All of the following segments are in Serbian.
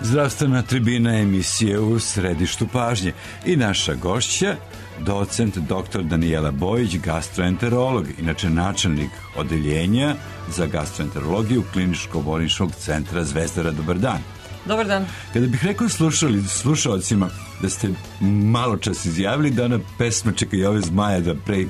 Zdravstvena tribina emisije u središtu pažnje i naša gošća, docent dr. Danijela Bojić, gastroenterolog, inače načelnik odeljenja za gastroenterologiju Kliničko-bolničkog centra Zvezdara. Dobar dan. Dobar dan. Kada bih rekao slušalcima da ste malo čas izjavili da ona pesma Čekaj i ove zmaja da pre i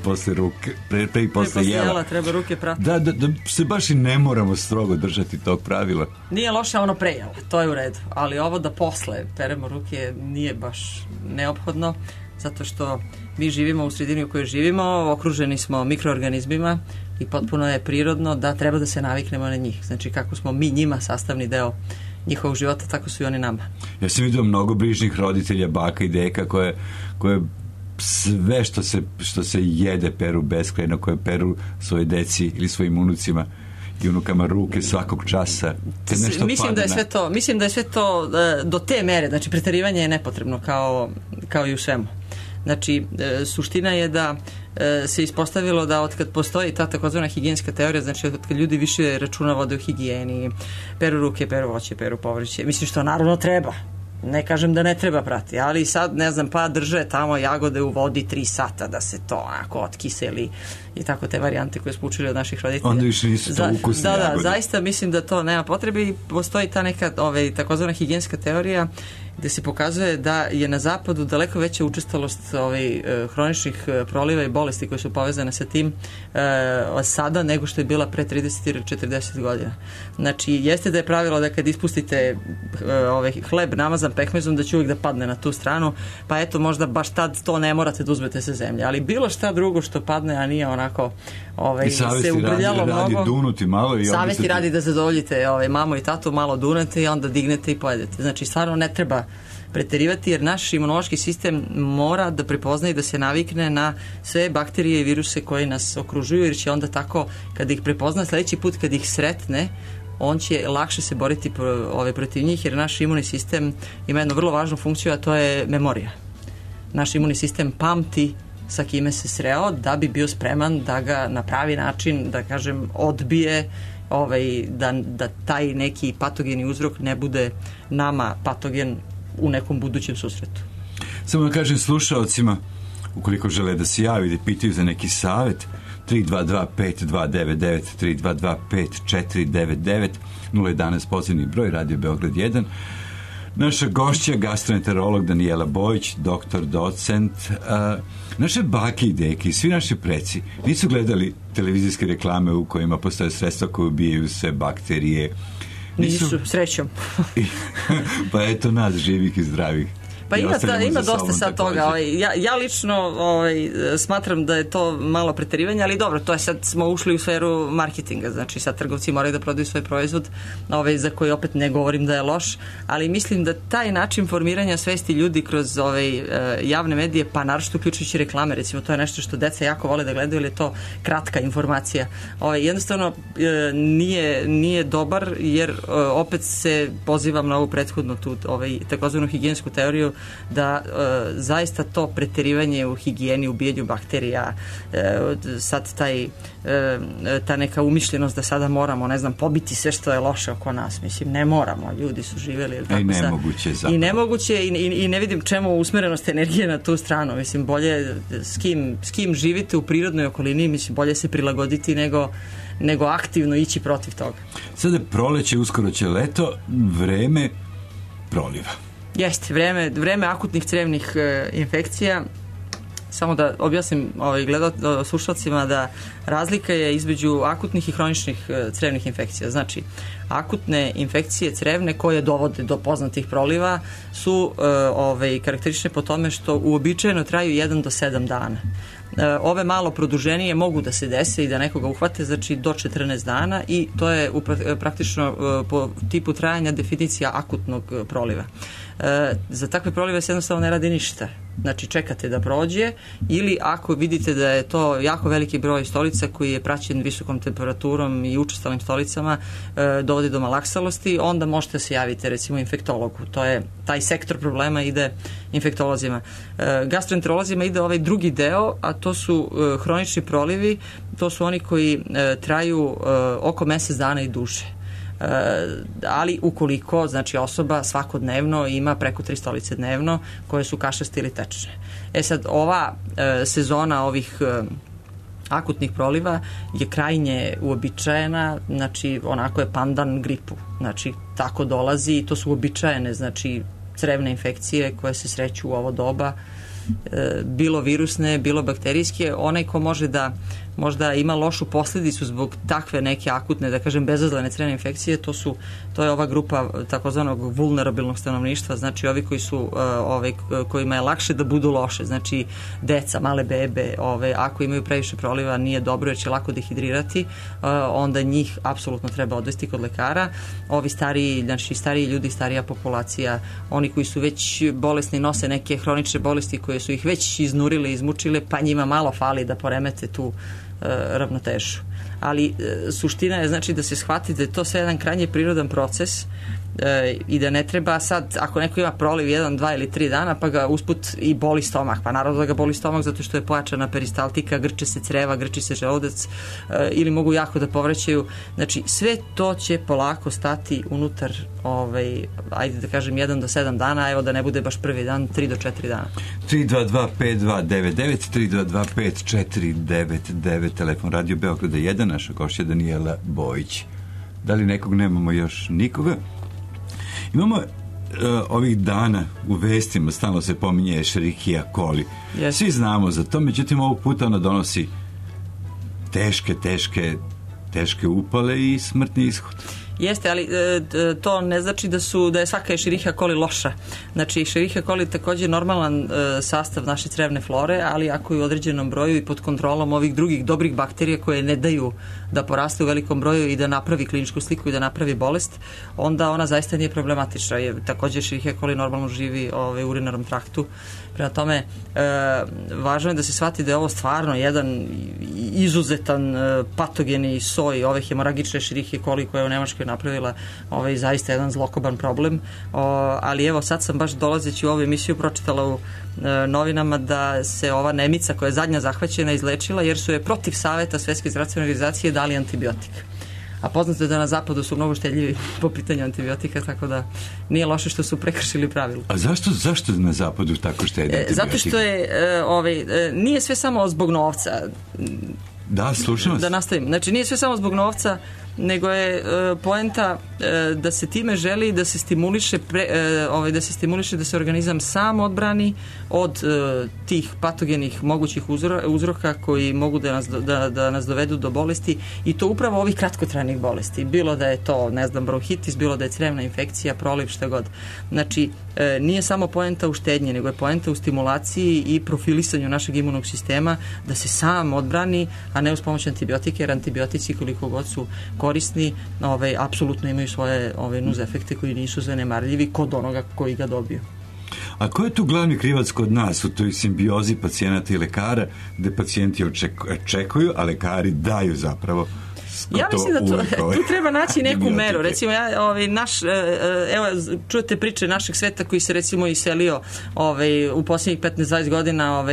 posle jela treba ruke prati. Da se baš i ne moramo strogo držati tog pravila. Nije loše ono pre jela, to je u redu, ali ovo da posle peremo ruke nije baš neophodno, zato što mi živimo u sredini u kojoj živimo, okruženi smo mikroorganizmima i potpuno je prirodno da treba da se naviknemo na njih. Znači kako smo mi njima sastavni deo njihovog života, tako su i oni nama. Ja sam vidio mnogo bližnjih roditelja, baka i deka koje sve što se jede peru beskrajno, koje peru svoje deci ili svojim unucima i unukama ruke svakog časa. Mislim da je sve to do te mere, znači preterivanje je nepotrebno kao i u svemu. Znači, suština je da se ispostavilo da od kad postoji ta takozvana higijenska teorija, znači od kad ljudi više računa vode u higijeni, peru ruke, peru voće, peru povrće, mislim što naravno treba. Ne kažem da ne treba prati, ali sad, ne znam, pa drže tamo jagode u vodi 3 sata da se to onako otkiseli i tako te varijante koje smo učili od naših roditelja. Onda više nisu to ukusne jagode. Da, zaista mislim da to nema potrebe i postoji ta neka takozvana higijenska teorija gde se pokazuje da je na zapadu daleko veća učestalost hroničnih proliva i bolesti koje su povezane sa tim sada nego što je bila pre 30 ili 40 godina. Znači, jeste da je pravilo da kad ispustite hleb namazan pekmezom da će uvijek da padne na tu stranu, pa eto možda baš tad to ne morate da uzmete sa zemlje, ali bilo šta drugo što padne, a nije onako se ubrljalo mnogo. Dunuti malo i savesti radi da zadovoljite mamu i tatu, malo dunete i onda dignete i pojedete. Znači, stvarno ne treba preterivati jer naš imunološki sistem mora da prepozna i da se navikne na sve bakterije i viruse koji nas okružuju, jer će onda tako, kada ih prepozna, sledeći put kad ih sretne, on će lakše se boriti protiv njih, jer naš imunni sistem ima jednu vrlo važnu funkciju, a to je memorija. Naš imunni sistem pamti sa kime se sreo da bi bio spreman da ga na pravi način, da kažem, odbije, da taj neki patogeni uzrok ne bude nama patogen u nekom budućem susretu. Samo da kažem slušalcima, ukoliko žele da se javi ili pitaju za neki savjet, 322-5299, 322-5499, 011 pozivni broj, Radio Beograd 1. Naša gošća, gastroenterolog Danijela Bojić, doktor, docent. Naše bake i deke, svi naši preci nisu gledali televizijske reklame u kojima postoje sredstva koje ubijaju sve bakterije. Nisu, srećom. Pa eto nas, živih i zdravih. Pa ima dosta sad toga. Ja lično smatram da je to malo preterivanje, ali dobro, to je sad smo ušli u sferu marketinga, znači sad trgovci moraju da prodaju svoj proizvod za koji opet ne govorim da je loš, ali mislim da taj način formiranja svesti ljudi kroz javne medije, pa naročito uključujući reklame, recimo to je nešto što deca jako vole da gledaju, ili je to kratka informacija. Jednostavno nije dobar, jer opet se pozivam na ovu prethodnu tu takozvanu higijensku teoriju, da zaista to preterivanje u higijeni, ubijanju bakterija, sad ta neka umišljenost da sada moramo, ne znam, pobiti sve što je loše oko nas. Mislim, ne moramo, ljudi su živjeli i nemoguće i ne vidim čemu usmerenost energije na tu stranu. Mislim, bolje s kim živite u prirodnoj okolini, mislim, bolje se prilagoditi nego aktivno ići protiv toga. Sada je proleće, uskoro će leto, vreme proliva. Jeste, vreme akutnih crevnih infekcija. Samo da objasnim slušalcima da razlika je između akutnih i hroničnih crevnih infekcija. Znači, akutne infekcije crevne koje dovode do poznatih proliva su karakteristične po tome što uobičajeno traju 1 do 7 dana. Ove malo produženije mogu da se dese i da nekoga uhvate, znači do 14 dana, i to je praktično po tipu trajanja definicija akutnog proliva. Za takve prolive se jednostavno ne radi ništa. Znači čekate da prođe, ili ako vidite da je to jako veliki broj stolica koji je praćen visokom temperaturom i učestalim stolicama, dovodi do malaksalosti, onda možete se javiti recimo infektologu. To je taj sektor problema ide infektolozima. Gastroenterolozima ide ovaj drugi deo, a to su hronični prolivi. To su oni koji traju oko mesec dana i duže. ali ukoliko, znači, osoba svakodnevno ima preko 3 stolice dnevno koje su kašaste ili tečne. Sad, ova sezona ovih akutnih proliva je krajnje uobičajena, znači onako je pandan gripu, znači tako dolazi i to su uobičajene, znači crevne infekcije koje se sreću u ovo doba, bilo virusne, bilo bakterijske. Onaj ko može da možda ima lošu posljedicu zbog takve neke akutne, da kažem, bezazlene crevne infekcije, to je ova grupa takozvanog vulnerabilnog stanovništva, znači ovi koji su, kojima je lakše da budu loše, znači deca, male bebe, ako imaju previše proliva nije dobro jer će lako dehidrirati, onda njih apsolutno treba odvesti kod lekara. Ovi stariji, znači stariji ljudi, starija populacija, oni koji su već bolesni, nose neke hronične bolesti koje su ih već iznurile, izmučile, pa njima malo fali da poremete tu ravnotežu. Ali suština je, znači, da se shvati da je to sve jedan krajnje prirodan proces i da ne treba sad, ako neko ima proliv 1, 2 ili 3 dana pa ga usput i boli stomak, pa naravno da ga boli stomak zato što je pojačana peristaltika, grče se creva, grči se želudac ili mogu jako da povraćaju, znači sve to će polako stati unutar ajde da kažem 1 do 7 dana, evo da ne bude baš prvi dan 3 do 4 dana. 322-5299 322-5499 telefon Radio Beograda 1, naša gošća Danijela Bojić. Da li nekog nemamo još nikoga? Imamo ovih dana u vestima stalno se pominje Escherichia coli. Yes. Svi znamo za to, međutim ovog puta ona donosi teške upale i smrtni ishod. Jeste, ali to ne znači da je svaka Escherichia coli loša. Znači, Escherichia coli je također normalan sastav naše crevne flore, ali ako je u određenom broju i pod kontrolom ovih drugih dobrih bakterija koje ne daju da poraste u velikom broju i da napravi kliničku sliku i da napravi bolest, onda ona zaista nije problematična. Također Escherichia coli normalno živi u urinarnom traktu. Prema tome, važno je da se shvati da je ovo stvarno jedan izuzetan patogeni soj ove hemoragične Escherichia coli koja je u Nemačkoj napravila zaista jedan zlokoban problem. Ali evo, sad sam baš dolazeći u ovu emisiju pročitala u novinama da se ova Nemica koja je zadnja zahvaćena izlečila jer su je protiv saveta Svetske zdravstvene organizacije dali antibiotik. A poznato je da na zapadu su mnogo štedljivi po pitanju antibiotika, tako da nije loše što su prekršili pravilo. A zašto na zapadu tako štedi antibiotika? Zato što je, nije sve samo zbog novca. Da, slušam vas. Da nastavim. Znači, nije sve samo zbog novca, nego je poenta da se time želi da se stimuliše da se organizam sam odbrani od tih patogenih mogućih uzroka koji mogu da nas dovedu do bolesti i to upravo ovih kratkotrajnih bolesti. Bilo da je to, bronhitis, bilo da je crevna infekcija, proliv, šta god. Znači, nije samo poenta u štednji, nego je poenta u stimulaciji i profilisanju našeg imunog sistema da se sam odbrani, a ne uz pomoć antibiotike, jer antibiotici koliko god su korisni, apsolutno imaju svoje nuz efekte koji nisu zanemarljivi kod onoga koji ga dobiju. A ko je tu glavni krivac kod nas u toj simbiozi pacijenata i lekara, gde pacijenti očekuju, a lekari daju zapravo? Ja mislim da tu treba naći neku meru. Recimo, evo, čujete priče našeg sveta koji se recimo iselio u posljednjih 15-20 godina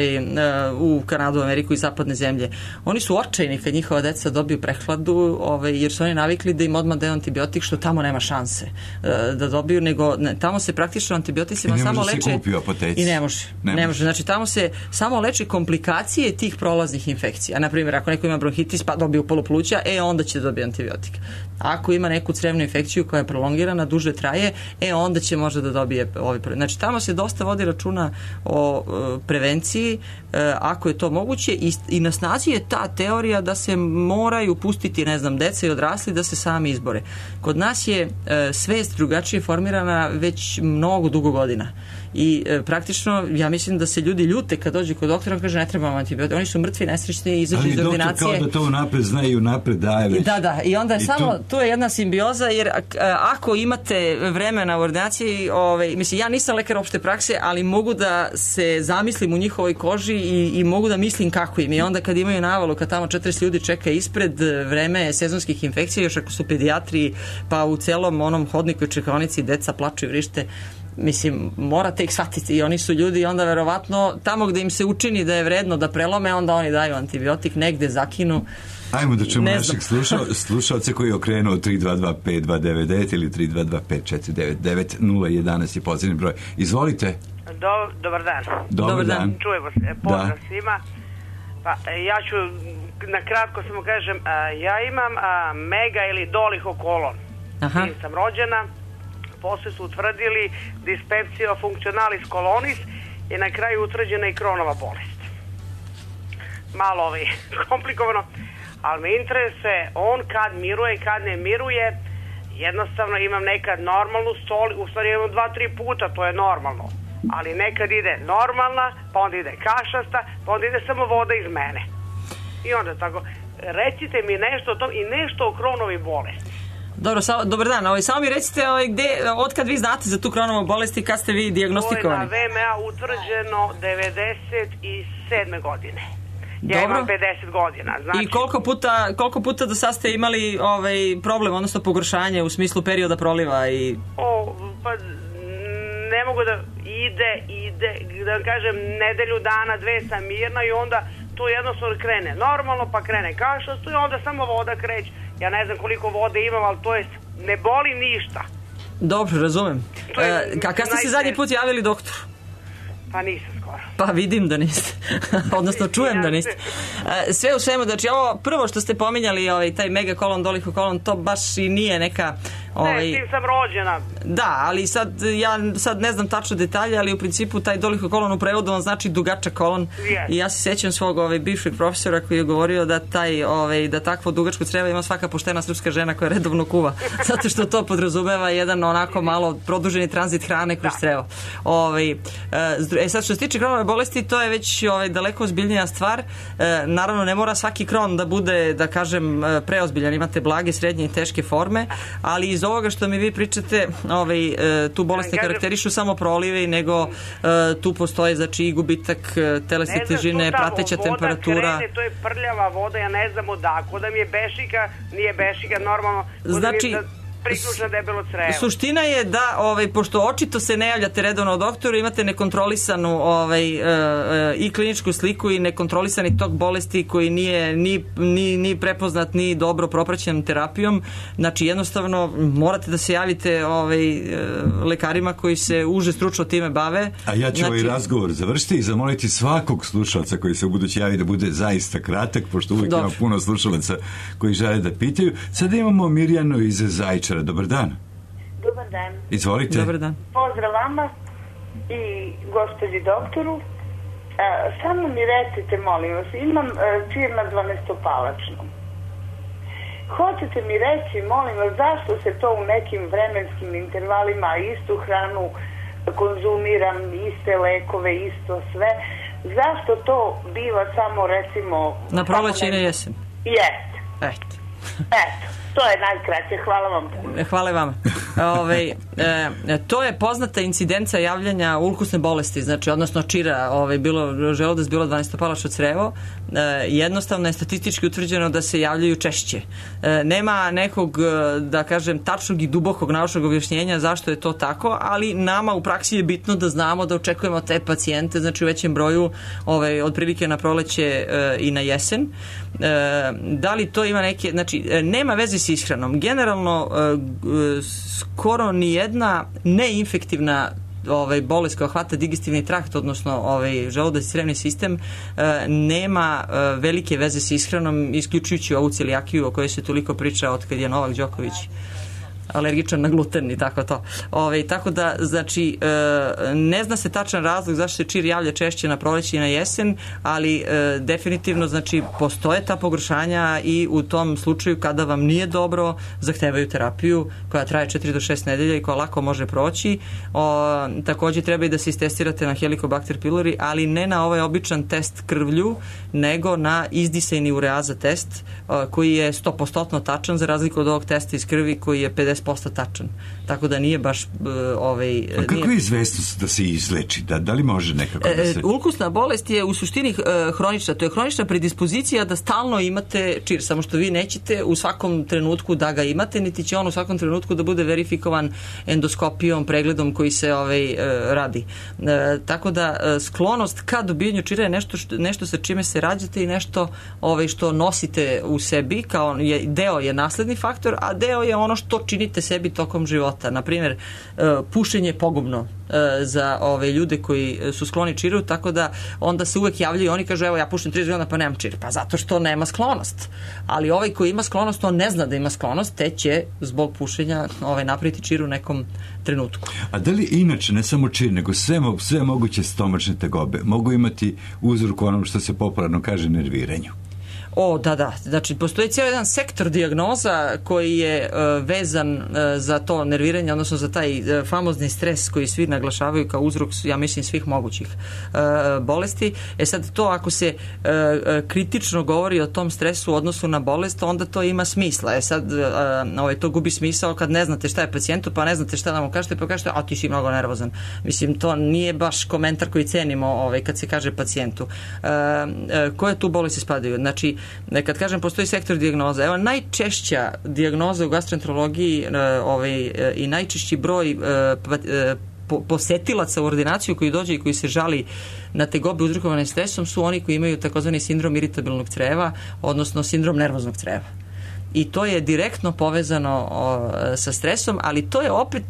u Kanadu, Ameriku i zapadne zemlje. Oni su očajni kad njihova deca dobiju prehladu, jer su oni navikli da im odmah daju antibiotik, što tamo nema šanse da dobiju, nego tamo se praktično antibioticima samo leče i ne može. Znači, tamo se samo leče komplikacije tih prolaznih infekcija. Naprimjer, ako neko ima bronhitis pa dobije polupluća, onda će dobiti antibiotik. Ako ima neku crevnu infekciju koja je prolongirana, duže traje, onda će možda da dobije Znači, tamo se dosta vodi računa o prevenciji, ako je to moguće, i na snazi je ta teorija da se moraju pustiti, deca i odrasli da se sami izbore. Kod nas je svest drugačije formirana već mnogo dugo godina. I praktično, ja mislim da se ljudi ljute kad dođe kod doktora, on kaže ne trebamo antibiotik. Oni su mrtvi, nesrećni, izađu iz ordinacije. Ali doktor kao da to napred zna i napred daje već. Da, i onda tu je jedna simbioza, jer ako imate vremena u ordinaciji, mislim, ja nisam lekar opšte prakse, ali mogu da se zamislim u njihovoj koži i mogu da mislim kako im. I onda kad imaju navalu, kad tamo 40 ljudi čeka ispred, vreme sezonskih infekcija, još ako su pedijatri, pa u celom onom hodniku i čekaonici deca plaču i vrište, mislim, morate ih shvatiti i oni su ljudi i onda verovatno tamo gde im se učini da je vredno da prelome, onda oni daju antibiotik, negde zakinu Ajmo da čujemo našeg slušalca koji je okrenuo 322-5299 ili 322-5499-011 je pozivni broj. Izvolite. Dobar dan. Dobar dan. Čujemo se. Pozdrav svima. Pa, ja ću na kratko samo kažem, ja imam mega ili dolihokolon. Tim sam rođena. Posle su utvrdili dispepsija functionalis colonis i na kraju utvrđena i Kronova bolest. Malo komplikovano, ali me interesuje on kad miruje i kad ne miruje. Jednostavno imam nekad normalnu stoli, u stvari imam 2-3 puta, to je normalno. Ali nekad ide normalna, pa onda ide kašasta, pa onda ide samo voda iz mene. I onda tako, recite mi nešto o tom i nešto o Kronovi bolesti. Dobro, dobar dan. Samo mi recite otkad vi znate za tu Kronovu bolest i kad ste vi dijagnostikovani? To je na VMA utvrđeno 97. godine. Ja imam 50 godina. Znači... I koliko puta do sad ste imali problem, odnosno pogoršanje u smislu perioda proliva? Pa ne mogu da ide, da kažem, nedelju dana, 2 sam mirna i onda tu jednostavno krene normalno, pa krene kašasto i onda samo voda kreće. Ja ne znam koliko vode imam, ali to je, ne boli ništa. Dobro, razumem. Kada ste se zadnji put javili doktoru? Pa nisam skoro. Pa vidim da niste. Odnosno čujem da niste. Sve u svemu, znači ovo prvo što ste pominjali, taj megakolon, dolihokolon, to baš i nije neka... Ne, s tim sam rođena. Da, ali ja sad ne znam tačno detalje, ali u principu taj dolihokolon u prevodu on znači dugačak kolon. Yes. I ja se sjećam svog bivšeg profesora koji je govorio da da takvo dugačko crevo ima svaka poštena srpska žena koja redovno kuva. Zato što to podrazumeva jedan onako malo produženi tranzit hrane kroz crevo. Sad što se tiče Kronove bolesti, to je već daleko ozbiljnija stvar. Naravno, ne mora svaki Kron da bude, da kažem, preozbiljan. Imate blage, srednje i teške forme, ali iz ovoga što mi vi pričate, tu bolest ne karakterišu samo prolive, nego tu postoje znači i gubitak telesne težine, prateća temperatura. Krene, to je prljava voda, ja ne znam odakle, da mi je bešika, nije bešika normalno, znači priključna debelo crevo. Suština je da, pošto očito se ne javljate redovno doktoru, imate nekontrolisanu i kliničku sliku i nekontrolisani tok bolesti koji nije ni prepoznat, ni dobro propraćen terapijom, znači jednostavno morate da se javite lekarima koji se uže stručno time bave. A ja ću ovaj razgovor završiti i zamoliti svakog slušalca koji se u budući javi da bude zaista kratak, pošto uvijek ima puno slušalaca koji žele da pitaju. Sada imamo Mirjanu iz Zaječara. Dobar dan. Dobar dan. Izvolite. Dobar dan. Pozdrav vama i gospođi doktoru. Samo mi recite, molim vas, imam čir na 12-palačnom. Hoćete mi reći, molim vas, zašto se to u nekim vremenskim intervalima istu hranu konzumiram, iste lekove, isto sve, zašto to biva samo recimo... Na proleće i na jesen? Jeste. Eto. To je najkraće, hvala vam. Hvala vama. To je poznata incidenca javljanja ulkusne bolesti, znači odnosno čira, želudac, bilo 12-palačno crevo. Jednostavno je statistički utvrđeno da se javljaju češće. Nema nekog, da kažem, tačnog i dubokog naučnog objašnjenja zašto je to tako, ali nama u praksi je bitno da znamo da očekujemo te pacijente, znači u većem broju, otprilike na proleće i na jesen. Da li to ima neke, znači nema veze s ishranom. Generalno skoro ni jedna neinfektivna bolest koja hvata digestivni trakt, odnosno želudac i crevni sistem, nema velike veze s ishranom, isključujući ovu celijakiju o kojoj se toliko priča od kad je Novak Đoković alergičan na gluten i tako to. Tako da, znači, ne zna se tačan razlog zašto se čir javlja češće na proleće i na jesen, ali definitivno, znači, postoje ta pogoršanja i u tom slučaju kada vam nije dobro, zahtevaju terapiju koja traje 4 do 6 nedelja i koja lako može proći. Također treba i da se istestirate na Helicobacter pylori, ali ne na ovaj običan test krvlju, nego na izdisajni ureaza test koji je 100% tačan, za razliku od ovog testa iz krvi koji je 50 100% tačan. Tako da nije baš... A kako je izvesnost da se izleči? Da li može nekako da se... Ulkusna bolest je u suštini hronična. To je hronična predispozicija da stalno imate čir, samo što vi nećete u svakom trenutku da ga imate, niti će on u svakom trenutku da bude verifikovan endoskopijom, pregledom koji se radi. Tako da sklonost ka dobijanju čira je nešto sa čime se rađate i nešto što nosite u sebi, kao deo je nasledni faktor, a deo je ono što činite sebi tokom života. Naprimjer, pušenje je pogubno za ljude koji su skloni čiru, tako da onda se uvek javljaju i oni kažu, evo ja pušim 30 godina pa nemam čir. Pa zato što nema sklonost. Ali ovaj koji ima sklonost, on ne zna da ima sklonost, te će zbog pušenja napraviti čir u nekom trenutku. A da li inače, ne samo čir, nego sve moguće stomačne tegobe mogu imati uzrok onom što se popularno kaže nerviranju? Da. Znači, postoji cijeli jedan sektor dijagnoza koji je vezan za to nerviranje, odnosno za taj famozni stres koji svi naglašavaju kao uzrok, ja mislim, svih mogućih bolesti. Sad, to ako se kritično govori o tom stresu u odnosu na bolest, onda to ima smisla. Sad, to gubi smisao kad ne znate šta je pacijentu, pa ne znate šta da mu kažete, pa kažete, a ti si mnogo nervozan. Mislim, to nije baš komentar koji cenimo kad se kaže pacijentu. Koje tu bolesti spadaju? Znači, kad kažem postoji sektor dijagnoza, evo najčešća dijagnoza u gastroenterologiji i najčešći broj posetilaca u ordinaciju koji dođe i koji se žali na tegobe uzrokovane stresom su oni koji imaju takozvani sindrom iritabilnog creva, odnosno sindrom nervoznog creva. I to je direktno povezano sa stresom, ali to je opet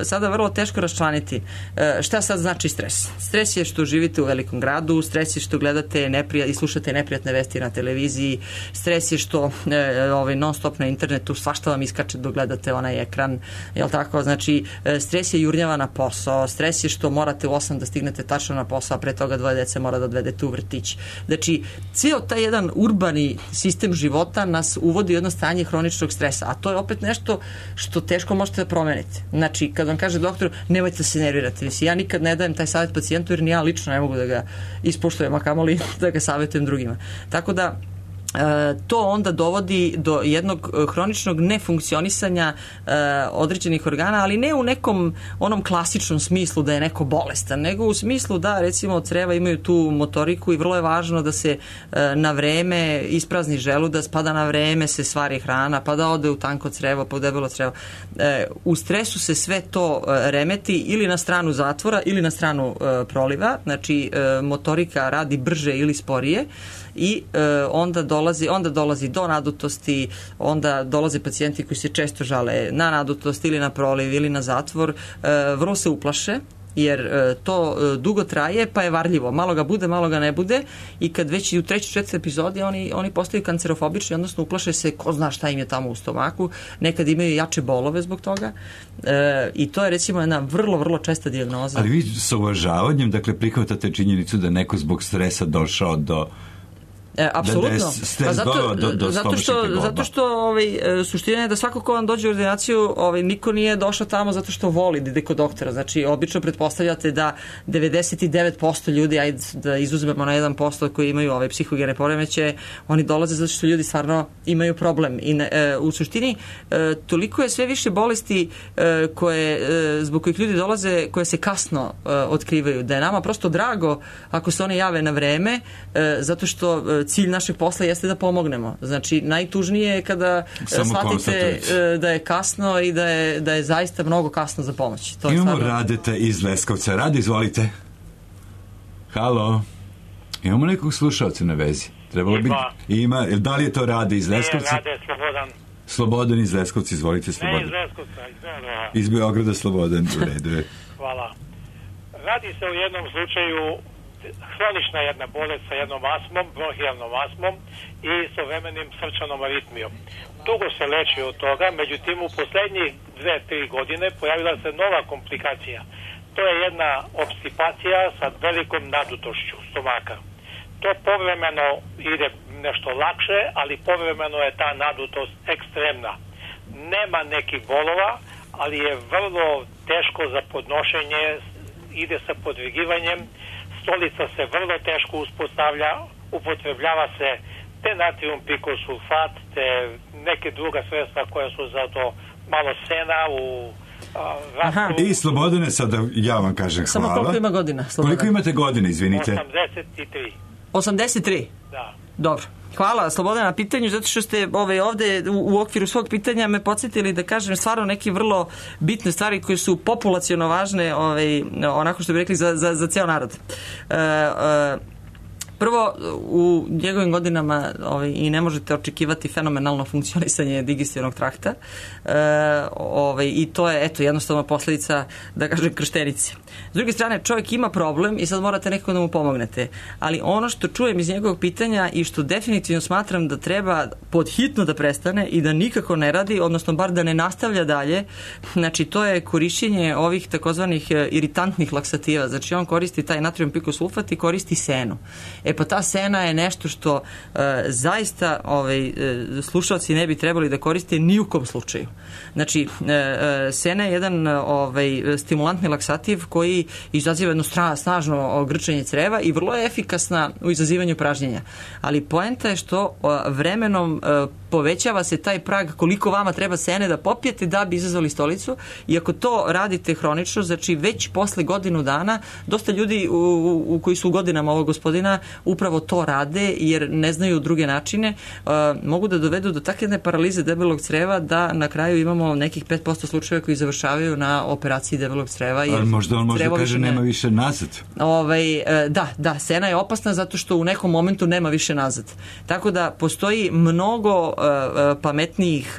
sada vrlo teško raščlaniti. Šta sad znači stres? Stres je što živite u velikom gradu, stres je što gledate i slušate neprijatne vesti na televiziji, stres je što non stop na internetu svašta vam iskače dok gledate onaj ekran, jel tako? Znači, stres je jurnjava na posao, stres je što morate u 8 da stignete tačno na posao, a pre toga 2 dece mora da odvedete u vrtić. Znači, cijel taj jedan urbani sistem života nas uvodi u jedno stanje hroničnog stresa, a to je opet nešto što teško možete da promenite. Znači, kad vam kaže doktor, nemojte da se nervirate. Ja nikad ne dajem taj savjet pacijentu, jer ni ja lično ne mogu da ga ispoštujem, a kamoli da ga savjetujem drugima. Tako da to onda dovodi do jednog hroničnog nefunkcionisanja određenih organa, ali ne u nekom onom klasičnom smislu da je neko bolestan, nego u smislu da, recimo, creva imaju tu motoriku i vrlo je važno da se na vreme isprazni želudac, pa da na vreme se stvari hrana, pa da ode u tanko crevo, pa u debelo crevo. U stresu se sve to remeti ili na stranu zatvora ili na stranu proliva, znači motorika radi brže ili sporije i onda dolazi do nadutosti, onda dolaze pacijenti koji se često žale na nadutost ili na proliv ili na zatvor, vrlo se uplaše jer to dugo traje pa je varljivo, malo ga bude, malo ga ne bude i kad već i u 3. 4. epizodi oni postaju kancerofobični, odnosno uplaše se, ko zna šta im je tamo u stomaku, nekad imaju jače bolove zbog toga i to je recimo jedna vrlo, vrlo česta dijagnoza. Ali vi sa uvažavanjem, dakle, prihvatate činjenicu da neko zbog stresa došao do apsolutno. Zato što suština je da svako ko vam dođe u ordinaciju, niko nije došao tamo zato što voli da ide kod doktora. Znači, obično pretpostavljate da 99% ljudi, ajde da izuzmemo na 1% koji imaju psihogene poremećaje, oni dolaze zato što ljudi stvarno imaju problem. I u suštini toliko je sve više bolesti zbog kojih ljudi dolaze, koje se kasno otkrivaju, da je nama prosto drago ako se one jave na vreme, zato što cilj našeg posla jeste da pomognemo. Znači, najtužnije je kada shvatite da je kasno i da je zaista mnogo kasno za pomoć. Imamo Radeta iz Leskovca. Rade, izvolite. Halo. Imamo nekog slušalca na vezi. Ima. Da li je to Rade iz Leskovca? Rade, Slobodan. Slobodan iz Leskovca, izvolite, Slobodan. Ne iz Leskovca, iz Beograda. Iz Beograda, Slobodan, u redu je. Hvala. Radi se o jednom slučaju hronična jedna bolest sa jednom astmom, bronhijalnom astmom i istovremeno srčanom aritmijom. Dugo se leči od toga, međutim u poslednjih 2-3 godine pojavila se nova komplikacija. To je jedna obstipacija sa velikom nadutošću stomaka. To povremeno ide nešto lakše, ali povremeno je ta nadutost ekstremna. Nema nekih bolova, ali je vrlo teško za podnošenje, ide sa podvigivanjem, stolica se vrlo teško uspostavlja, upotrebljava se te natrium pikosulfat, te neke druga sredstva koja su za to malo sena u rastu. I Slobodane, sada ja vam kažem hvala. Samo koliko ima godina? Slobodan? Koliko imate godina, izvinite? 83. 83? Da. Dobro. Hvala Slobodana na pitanju, zato što ste ovde u okviru svog pitanja me podsjetili da kažem stvarno neke vrlo bitne stvari koje su populaciono važne, onako što bi rekli, za ceo narod. Prvo, u njegovim godinama i ne možete očekivati fenomenalno funkcionisanje digestivnog trakta i to je jednostavno posledica, da kažem, krštenice. S druge strane, čovjek ima problem i sad morate nekako da mu pomognete. Ali ono što čujem iz njegovog pitanja i što definitivno smatram da treba podhitno da prestane i da nikako ne radi, odnosno bar da ne nastavlja dalje, znači to je korišćenje ovih takozvanih iritantnih laksativa. Znači on koristi taj natrijum pikosulfat i koristi senu. Pa ta sena je nešto što zaista slušalci ne bi trebali da koriste ni u kom slučaju. Znači, sena je jedan stimulantni laksativ koji izaziva jedno snažno grčenje creva i vrlo je efikasna u izazivanju pražnjenja. Ali poenta je što vremenom povećava se taj prag koliko vama treba sene da popijete da bi izazvali stolicu i ako to radite hronično, znači već posle godinu dana, dosta ljudi koji su u godinama ovog gospodina upravo to rade jer ne znaju druge načine, mogu da dovedu do takve jedne paralize debelog creva da na kraju imamo nekih 5% slučajeva koji završavaju na operaciji debelog creva. Ali možda on može kaže nema više nazad. Da, sena je opasna zato što u nekom momentu nema više nazad. Tako da postoji mnogo pametnijih,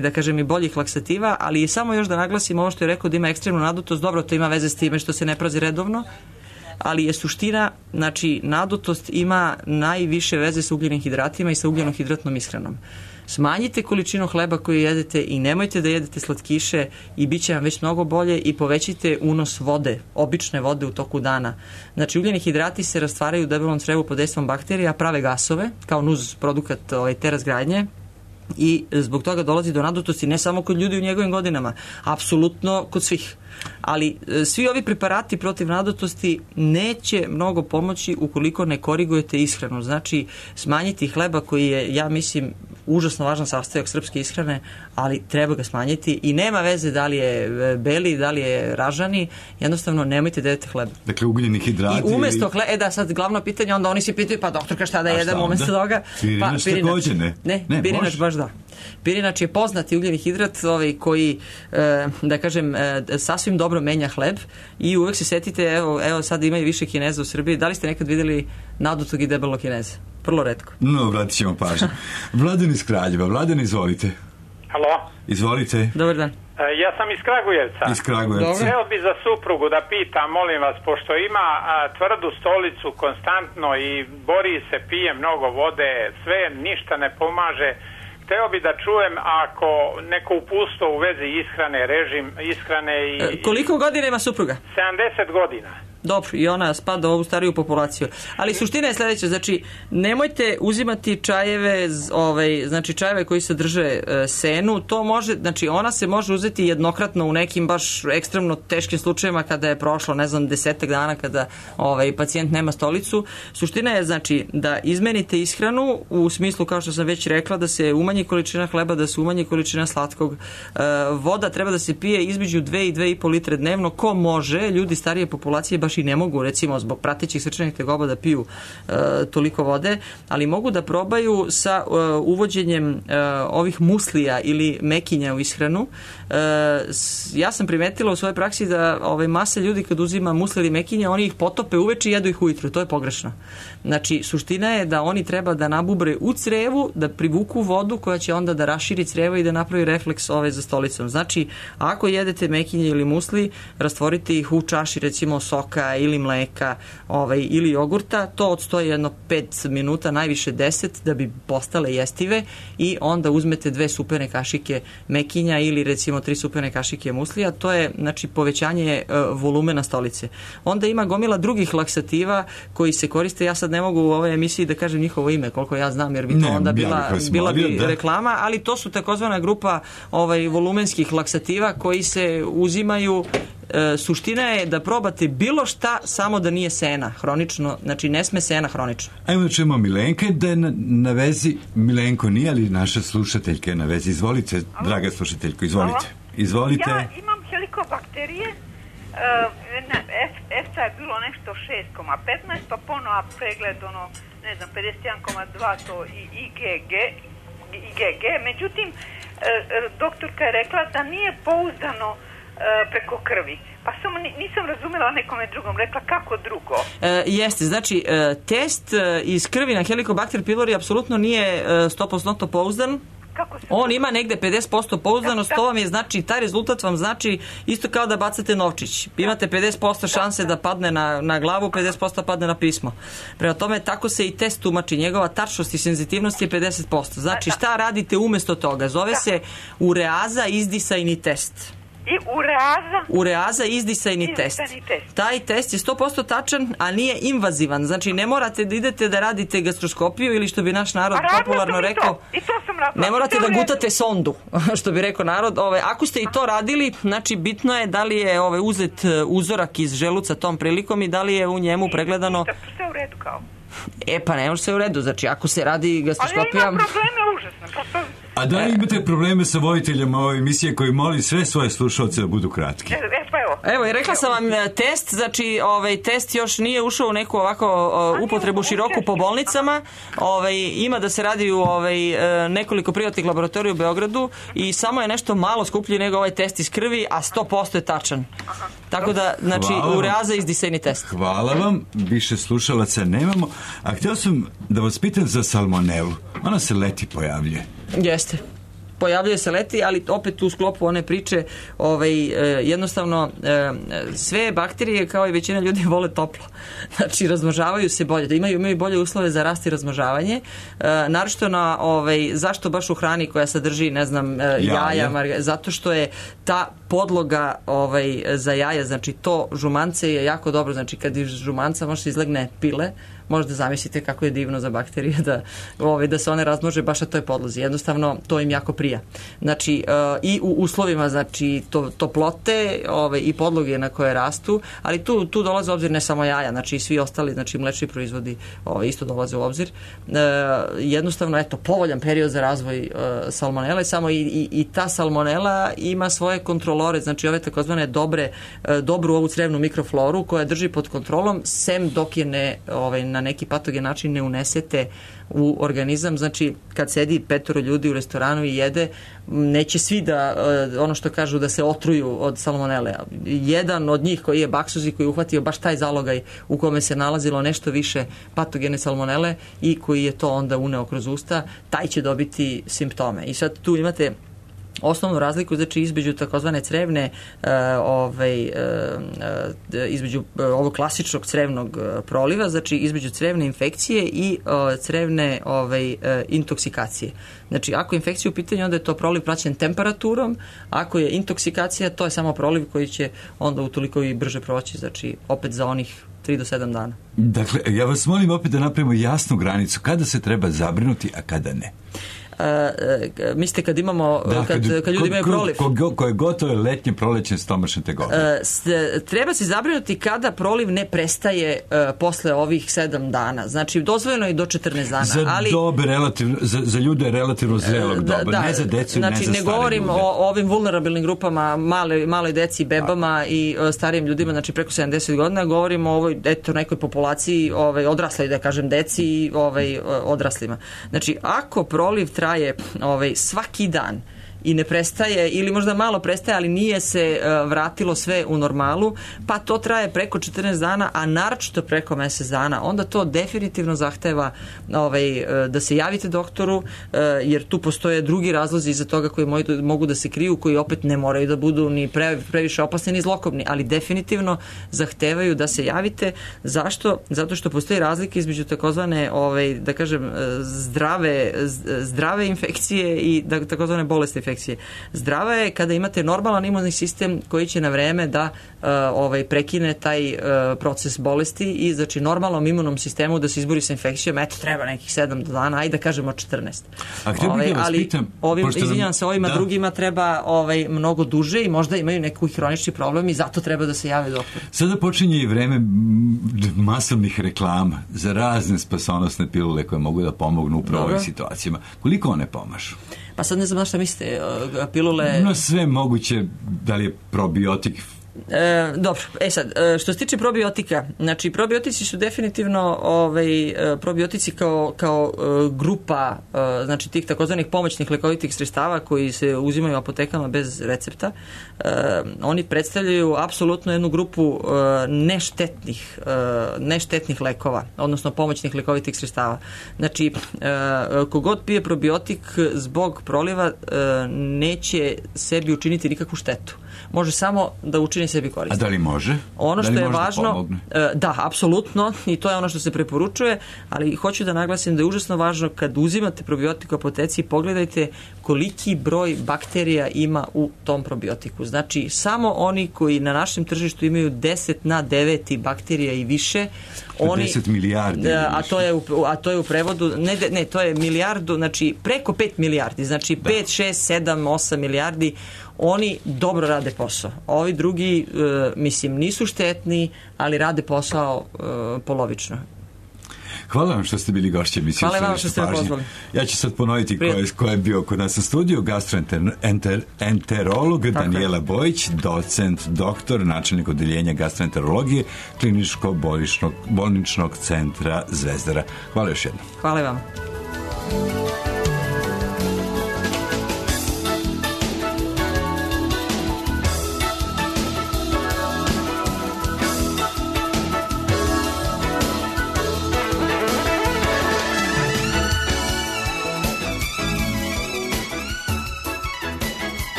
da kažem, i boljih laksativa, ali samo još da naglasim ovo što je rekao da ima ekstremnu nadutost, dobro, to ima veze s time što se ne prazi redovno, ali je suština, znači nadutost ima najviše veze sa ugljenim hidratima i sa ugljenohidratnom ishranom. Smanjite količinu hleba koju jedete i nemojte da jedete slatkiše i bit će vam već mnogo bolje i povećajte unos vode, obične vode u toku dana. Znači ugljeni hidrati se rastvaraju u debelom crevu pod dejstvom bakterija, prave gasove kao nuz produkat te razgradnje i zbog toga dolazi do nadutosti ne samo kod ljudi u njegovim godinama, apsolutno kod svih. Ali svi ovi preparati protiv nadutosti neće mnogo pomoći ukoliko ne korigujete ishranu. Znači smanjiti hleba koji je, ja mislim, užasno važan sastojak srpske ishrane, ali treba ga smanjiti i nema veze da li je beli, da li je ražani, jednostavno nemojte da jedete hleba. Dakle, ugljeni hidrati. I umesto hleba, sad glavno pitanje, onda oni se pitaju, pa doktorka šta da jedem umesto toga? Pirinač takođe, ne? Ne, pirinač baš da. Pirinač je poznati ugljeni hidrat koji, da kažem, sasvim dobro menja hleb i uvek se setite, evo sad ima i više Kineza u Srbiji, da li ste nekad videli nadutog i debelog Kineza? Vrlo retko. No, vratit ćemo pažnju. Vladan iz Kraljeva. Vladan, izvolite. Halo? Izvolite. Dobar dan. Ja sam iz Kragujevca. Iz Kragujevca. Hteo bi za suprugu da pitam, molim vas, pošto ima tvrdu stolicu konstantno i bori se, pije mnogo vode, sve ništa ne pomaže. Hteo bi da čujem ako neko upustvo u vezi ishrane, režim ishrane i... Koliko godina ima supruga? 70 godina. Dobro, i ona spada u ovu stariju populaciju. Ali suština je sledeća, znači nemojte uzimati čajeve, znači čajeve koji sadrže senu, to može, znači ona se može uzeti jednokratno u nekim baš ekstremno teškim slučajevima kada je prošlo, ne znam, 10 dana kada pacijent nema stolicu. Suština je, znači, da izmenite ishranu u smislu, kao što sam već rekla, da se umanji količina hleba, da se umanji količina slatkog. Voda treba da se pije između 2 i 2,5 litre dnevno. Ko može, ljudi starije populacije baš i ne mogu, recimo, zbog pratećih srčanih tegoba da piju toliko vode, ali mogu da probaju sa uvođenjem ovih muslija ili mekinja u ishranu. Ja sam primetila u svojoj praksi da masa ljudi kad uzima musli ili mekinja, oni ih potope uveče i jedu ih ujutru. To je pogrešno. Znači, suština je da oni treba da nabubre u crevu, da privuku vodu koja će onda da raširi crevo i da napravi refleks za stolicom. Znači, ako jedete mekinje ili musli, rastvorite ih u čaši, recimo, soka ili mleka ili jogurta, to odstoji jedno 5 minuta, najviše 10, da bi postale jestive i onda uzmete 2 supene kašike mekinja ili recimo 3 supene kašike muslija, to je, znači, povećanje volumena stolice. Onda ima gomila drugih laksativa koji se koriste, ja sad ne mogu u ovoj emisiji da kažem njihovo ime, koliko ja znam, jer bi to onda bila bi reklama, ali to su takozvana grupa volumenskih laksativa koji se uzimaju suština je da probate bilo šta, samo da nije sena hronično, znači ne sme sena hronično. Ajmo da čujemo Milenke, da je na vezi, Milenko nije, ali naša slušateljka je na vezi. Izvolite, draga slušateljko, izvolite. Izvolite. Ja imam helikobakterije, EFSA je bilo nešto 6,15, pa ponovo pregled, 51,2 to i IgG. Međutim, doktorka je rekla da nije pouzdano preko krvi. Pa samo nisam razumela nekome drugom, rekla kako drugo. Jeste, znači test iz krvi na Helicobacter pylori apsolutno nije 100% pouzdan. On ima negde 50% pouzdanost, to vam je, znači, taj rezultat vam znači isto kao da bacate novčić. Imate 50% šanse da padne na glavu, 50% padne na pismo. Prema tome, tako se i test tumači. Njegova tačnost i senzitivnost je 50%. Znači, šta radite umesto toga? Zove se ureaza izdisajni test. I ureaza izdisajni test. Taj test je 100% tačan, a nije invazivan. Znači ne morate da idete da radite gastroskopiju ili što bi naš narod popularno rekao, ne morate da gutate sondu, što bi rekao narod. Ako ste i to radili, znači bitno je da li je uzet uzorak iz želuca tom prilikom i da li je u njemu pregledano. Sve u redu kao. Pa ne može se u redu, znači ako se radi gastroskopija... Ali ima probleme užasno. A da li imate probleme sa voditeljama ove emisije koji moli sve svoje slušalce da budu kratki? Evo, i rekla sam vam test, znači test još nije ušao u neku ovako upotrebu široku po bolnicama. Ima da se radi u nekoliko privatnih laboratorija u Beogradu i samo je nešto malo skuplji nego ovaj test iz krvi, a 100% je tačan. Tako da, znači, ureaza izdisajni test. Hvala vam, više slušalaca nemamo. A htio sam da vas pitam za salmonelu. Ona se leti pojavljuje. Jeste. Pojavljuje se leti, ali opet u sklopu one priče jednostavno sve bakterije kao i većina ljudi vole toplo. Znači razmnožavaju se bolje, da imaju bolje uslove za rast i razmnožavanje. Naročito na zašto baš u hrani koja sadrži, ne znam, jaja, zato što je ta podloga za jaja, znači to žumance je jako dobro, znači kad iz žumanca može se izlegne pile, možda zamislite kako je divno za bakterije da se one razmnože baš na toj podlozi. Jednostavno, to im jako prija. Znači, i u uslovima, znači, toplote i podloge na koje rastu, ali tu dolaze u obzir ne samo jaja, znači i svi ostali, znači mlečni proizvodi isto dolaze u obzir. Jednostavno, eto, povoljan period za razvoj salmonele, samo i ta salmonela ima svoje kontrolore, znači ove takozvane dobru ovu crevnu mikrofloru koja drži pod kontrolom, sem dok je na neki patogen način ne unesete u organizam. Znači kad sedi 5 ljudi u restoranu i jede, neće svi da ono što kažu da se otruju od salmonele. Jedan od njih koji je baksuzi, koji je uhvatio baš taj zalogaj u kome se nalazilo nešto više patogene salmonele i koji je to onda uneo kroz usta, taj će dobiti simptome. I sad tu imate osnovnu razliku, znači između takozvane crevne između ovog klasičnog crevnog proliva, znači između crevne infekcije i crevne intoksikacije. Znači ako je infekcija u pitanju, onda je to proliv praćen temperaturom, ako je intoksikacija, to je samo proliv koji će onda utoliko i brže proći, znači opet za onih 3 do 7 dana. Dakle, ja vas molim opet da napravimo jasnu granicu, kada se treba zabrinuti, a kada ne. Mislite kad imamo kad ljudi imaju proliv koje gotovo letnje prolećne stomačne tegobe, treba se zabrinuti kada proliv ne prestaje posle ovih 7 dana, znači dozvoljeno je do 14 dana, ali za ljude relativno zrelog doba, ne za decu, znači, ne za stare govorim ljude. o ovim vulnerabilnim grupama, maloj deci, bebama i starijim ljudima, znači preko 70 godina, govorim o ovoj nekoj populaciji odrasloj, da kažem, deci i odraslima. Znači ako proliv traje svaki dan i ne prestaje ili možda malo prestaje, ali nije se vratilo sve u normalu, pa to traje preko 14 dana, a naročito preko mjesec dana, onda to definitivno zahteva da se javite doktoru, jer tu postoje drugi razlozi iza toga koji mogu da se kriju, koji opet ne moraju da budu ni previše opasni ni zlokobni, ali definitivno zahtevaju da se javite. Zašto? Zato što postoji razlika između takozvane da kažem zdrave infekcije i takozvane bolesne infekcije. infekcije. Zdrava je kada imate normalan imunni sistem koji će na vreme da prekine taj proces bolesti i znači normalnom imunnom sistemu da se izbori sa infekcijom, eto treba nekih 7 dana, ajde da kažemo 14. Ali izvinjavam se, ovima drugima treba mnogo duže i možda imaju neki hronični problem i zato treba da se jave doktor. Sada počinje i vreme masovnih reklama za razne spasonosne pilule koje mogu da pomognu upravo ovim situacijama. Koliko one pomažu? Pa sad ne znam na šta mislite, pilule... No sve moguće, da li je probiotik... Dobro, sad, što se tiče probiotika, znači probiotici su definitivno probiotici kao grupa, znači tih takozvanih pomoćnih lekovitih sredstava koji se uzimaju u apotekama bez recepta. Oni predstavljaju apsolutno jednu grupu neštetnih lekova, odnosno pomoćnih lekovitih sredstava. Znači, kogod pije probiotik zbog proliva neće sebi učiniti nikakvu štetu. Može samo da učini sebi korisno. A da li može? Ono što je važno, da, apsolutno, i to je ono što se preporučuje, ali hoću da naglasim da je užasno važno kad uzimate probiotik u apoteci, pogledajte koliki broj bakterija ima u tom probiotiku. Znači, samo oni koji na našem tržištu imaju 10 na 9 bakterija i više, 10 milijardi. A to je u prevodu, ne, to je milijardu, znači preko 5 milijardi, znači 5, 6, 7, 8 milijardi, oni dobro rade posao. Ovi drugi, mislim, nisu štetni, ali rade posao polovično. Hvala vam što ste bili gošće emisije. Hvala vam što ste me pozvali. Ja ću sad ponoviti ko je bio kod nas u studiju. Gastroenterolog Danijela Bojić, docent, doktor, načelnik odeljenja gastroenterologije Kliničko-bolničnog centra Zvezdara. Hvala još jednom. Hvala vam.